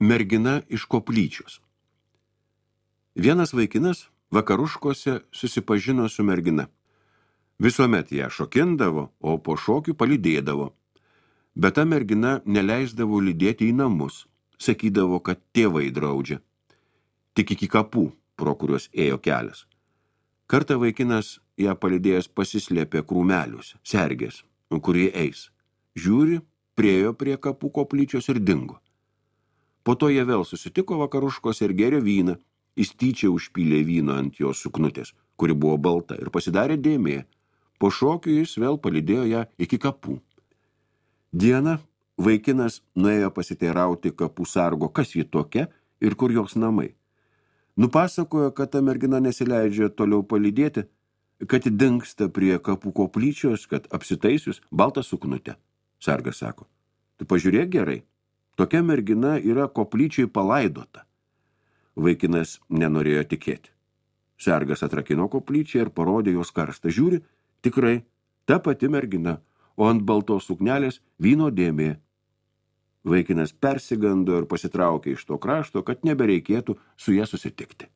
Mergina iš koplyčios. Vienas vaikinas vakaruškose susipažino su mergina. Visuomet ją šokindavo, o po šokių palydėdavo. Bet ta mergina neleisdavo lydėti į namus, sakydavo, kad tėvai draudžia. Tik iki kapų, pro kuriuos ėjo kelias. Kartą vaikinas ją palydėjęs pasislėpė krūmeliuose, sergės, kurie eis. Žiūri, priejo prie kapų koplyčios ir dingo. Po to jie vėl susitiko vakaruškos ir gėrė vyną. Jis tyčia užpylė vyno ant jos suknutės, kuri buvo balta, ir pasidarė dėmė. Po šokių jis vėl palydėjo ją iki kapų. Dieną vaikinas nuėjo pasiteirauti kapų sargo, kas ji tokia ir kur jos namai. Nupasakojo, kad ta mergina nesileidžia toliau palydėti, kad dingsta prie kapų koplyčios, kad apsitaisius baltą suknutę. Sargas sako, tu pažiūrėk gerai, tokia mergina yra koplyčiai palaidota. Vaikinas nenorėjo tikėti. Sargas atrakino koplyčią ir parodė jos karstą. Žiūri, tikrai, ta pati mergina, o ant baltos suknelės vyno dėmė. Vaikinas persigando ir pasitraukė iš to krašto, kad nebereikėtų su ja susitikti.